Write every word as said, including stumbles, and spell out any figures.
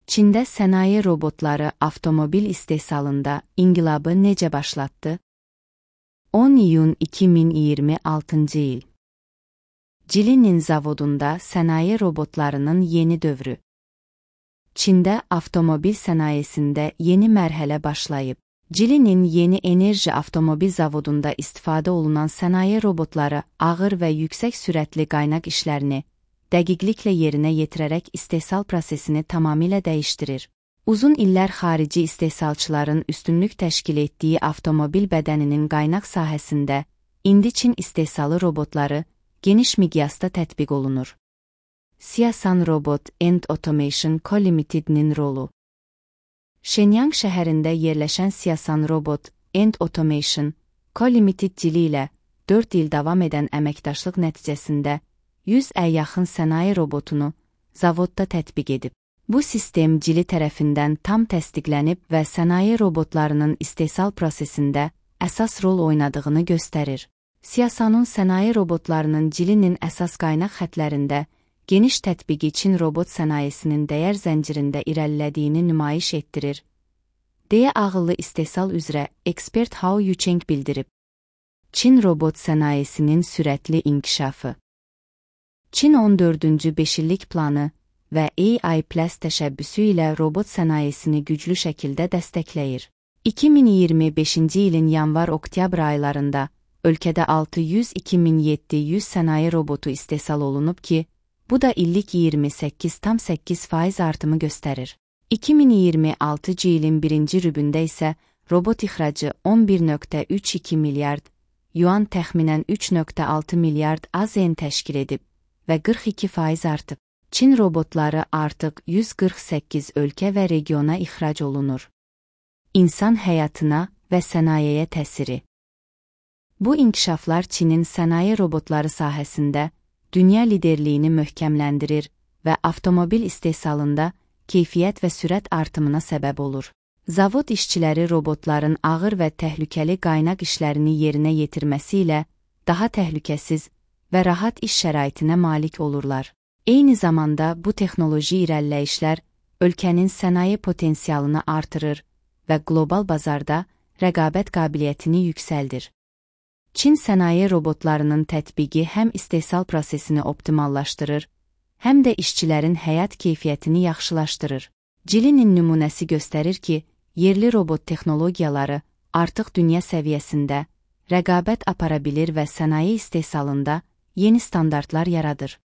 Çində sənaye robotları avtomobil istehsalında inqilabı necə başlatdı? on iyun iki min iyirmi altıncı il. Jilin zavodunda sənaye robotlarının yeni dövrü. Çində avtomobil sənayesində yeni mərhələ başlayıb. Jilin yeni enerji avtomobil zavodunda istifadə olunan sənaye robotları ağır və yüksək sürətli qaynaq işlərini dəqiqliklə yerinə yetirərək istehsal prosesini tamamilə dəyişdirir. Uzun illər xarici istehsalçıların üstünlük təşkil etdiyi avtomobil bədəninin qaynaq sahəsində indi Çin istehsalı robotları geniş miqyasda tətbiq olunur. Siasan Robot and Automation Co Ltd-nin rolu. Shenyang şəhərində yerləşən Siasan Robot and Automation Co Ltd dili ilə dörd il davam edən əməkdaşlıq nəticəsində yüzə yaxın sənaye robotunu zavodda tətbiq edib. Bu sistem Jili tərəfindən tam təsdiqlənib və sənaye robotlarının istehsal prosesində əsas rol oynadığını göstərir. Siasanın sənaye robotlarının Jilin əsas qaynaq xətlərində geniş tətbiqi Çin robot sənayesinin dəyər zəncirində irəlilədiyini nümayiş etdirir, deyə ağıllı istehsal üzrə ekspert Hao Yucheng bildirib. Çin robot sənayesinin sürətli inkişafı. Çin on dördüncü beşillik planı və A I Plus təşəbbüsü ilə robot sənayesini güclü şəkildə dəstəkləyir. iki min iyirmi beşinci ilin yanvar-oktyabr aylarında ölkədə altı yüz iki min yeddi yüz sənaye robotu istehsal olunub ki, bu da illik iyirmi səkkiz tam səkkiz faiz artımı göstərir. iki min iyirmi altıncı ilin birinci rübündə isə robot ixracı on bir nöqtə üç iki milyard yuan təxminən üç nöqtə altı milyard A Z N təşkil edib və qırx iki faiz artıb. Çin robotları artıq yüz qırx səkkiz ölkə və regiona ixrac olunur. İnsan həyatına və sənayeye təsiri. Bu inkişaflar Çinin sənaye robotları sahəsində dünya liderliyini möhkəmləndirir və avtomobil istehsalında keyfiyyət və sürət artımına səbəb olur. Zavod işçiləri robotların ağır və təhlükəli qaynaq işlərini yerinə yetirməsi ilə daha təhlükəsiz və rahat iş şəraitinə malik olurlar. Eyni zamanda bu texnoloji irəliləyişlər ölkənin sənaye potensialını artırır və qlobal bazarda rəqabət qabiliyyətini yüksəldir. Çin sənaye robotlarının tətbiqi həm istehsal prosesini optimallaşdırır, həm də işçilərin həyat keyfiyyətini yaxşılaşdırır. Jilin nümunəsi göstərir ki, yerli robot texnologiyaları artıq dünya səviyyəsində rəqabət apara bilir və sənaye istehsalında yeni standartlar yaradır.